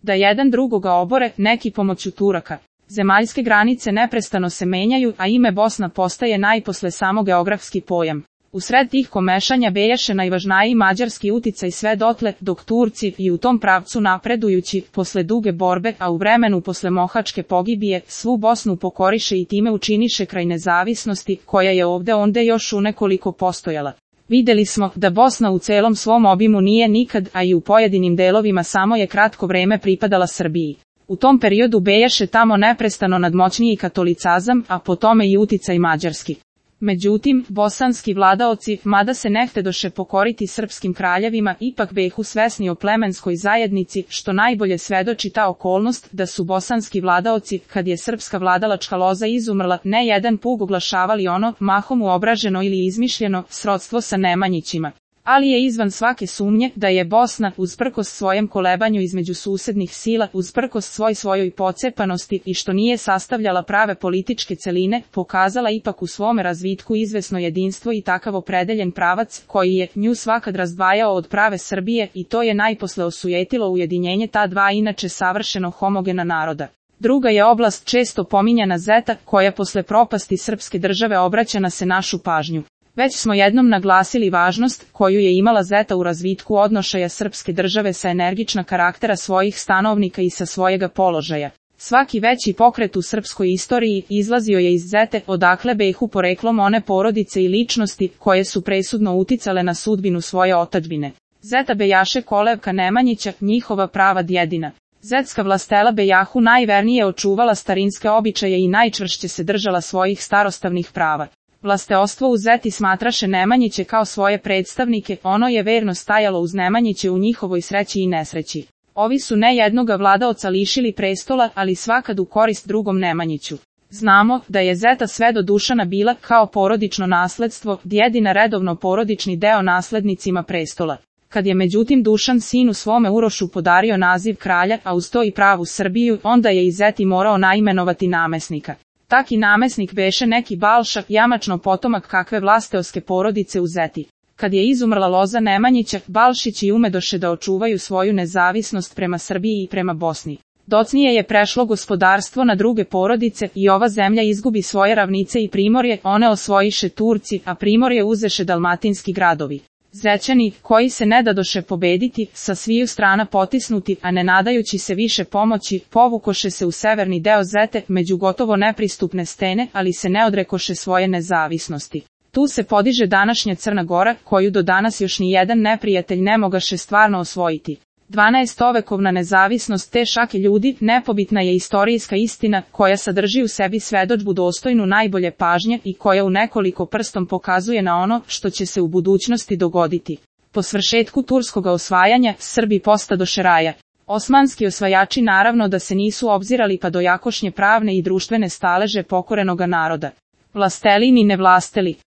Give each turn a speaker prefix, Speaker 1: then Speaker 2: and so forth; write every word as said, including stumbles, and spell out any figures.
Speaker 1: da jedan drugoga obore, neki pomoću Turaka. Zemaljske granice neprestano se menjaju, a ime Bosna postaje najposle samo geografski pojam. U sred tih komešanja bejaše najvažniji mađarski uticaj sve dotle, dok Turci, i u tom pravcu napredujući, posle duge borbe, a u vremenu posle Mohačke pogibije, svu Bosnu pokoriše i time učiniše kraj nezavisnosti, koja je ovde onde još u nekoliko postojala. Videli smo da Bosna u celom svom obimu nije nikad, a i u pojedinim delovima samo je kratko vreme pripadala Srbiji. U tom periodu bejaše tamo neprestano nadmoćniji katolicazam, a po tome i uticaj mađarski. Međutim, bosanski vladaoci, mada se nehtedoše pokoriti srpskim kraljevima, ipak behu svesni o plemenskoj zajednici, što najbolje svedoči ta okolnost da su bosanski vladaoci, kad je srpska vladalačka loza izumrla, ne jedan put oglašavali ono, mahom uobraženo ili izmišljeno, srodstvo sa Nemanjićima. Ali je izvan svake sumnje da je Bosna, usprkos svojem kolebanju između susednih sila, usprkos svoj svojoj pocepanosti i što nije sastavljala prave političke celine, pokazala ipak u svome razvitku izvesno jedinstvo i takav opredeljen pravac, koji je nju svakad razdvajao od prave Srbije, i to je najposle osujetilo ujedinjenje ta dva inače savršeno homogena naroda. Druga je oblast često pominjana Zeta, koja posle propasti srpske države obraća na se našu pažnju. Već smo jednom naglasili važnost koju je imala Zeta u razvitku odnošaja srpske države sa energična karaktera svojih stanovnika i sa svojega položaja. Svaki veći pokret u srpskoj istoriji izlazio je iz Zete, odakle behu poreklom one porodice i ličnosti koje su presudno uticale na sudbinu svoje otadžbine. Zeta bejaše kolevka Nemanjića, njihova prava djedina. Zetska vlastela bejahu najvernije očuvala starinske običaje i najčvršće se držala svojih starostavnih prava. Vlasteostvo u Zeti smatraše Nemanjiće kao svoje predstavnike, ono je verno stajalo uz Nemanjiće u njihovoj sreći i nesreći. Ovi su ne jednoga vladaoca lišili prestola, ali svakad u korist drugom Nemanjiću. Znamo da je Zeta sve do Dušana bila, kao porodično nasledstvo, djedina redovno porodični deo naslednicima prestola. Kad je međutim Dušan sinu svome Urošu podario naziv kralja, a uz to i pravu Srbiju, onda je i Zeti morao naimenovati namesnika. Taki namesnik beše neki Balša, jamačno potomak kakve vlasteoske porodice u Zeti. Kad je izumrla loza Nemanjića, Balšići umedoše da očuvaju svoju nezavisnost prema Srbiji i prema Bosni. Docnije je prešlo gospodarstvo na druge porodice i ova zemlja izgubi svoje ravnice i primorje, one osvojiše Turci, a primorje uzeše dalmatinski gradovi. Zećani, koji se ne dadoše pobediti, sa sviju strana potisnuti, a ne nadajući se više pomoći, povukoše se u severni deo Zete, među gotovo nepristupne stene, ali se ne odrekoše svoje nezavisnosti. Tu se podiže današnja Crna Gora, koju do danas još ni jedan neprijatelj ne mogaše stvarno osvojiti. dvanaestovekovna nezavisnost te šake ljudi nepobitna je istorijska istina, koja sadrži u sebi svedočbu dostojnu najbolje pažnje i koja u nekoliko prstom pokazuje na ono što će se u budućnosti dogoditi. Po svršetku turskog osvajanja, Srbi postadoše raja. Osmanski osvajači naravno da se nisu obzirali pa do jakošnje pravne i društvene staleže pokorenoga naroda. Vlasteli ni ne vlasteli.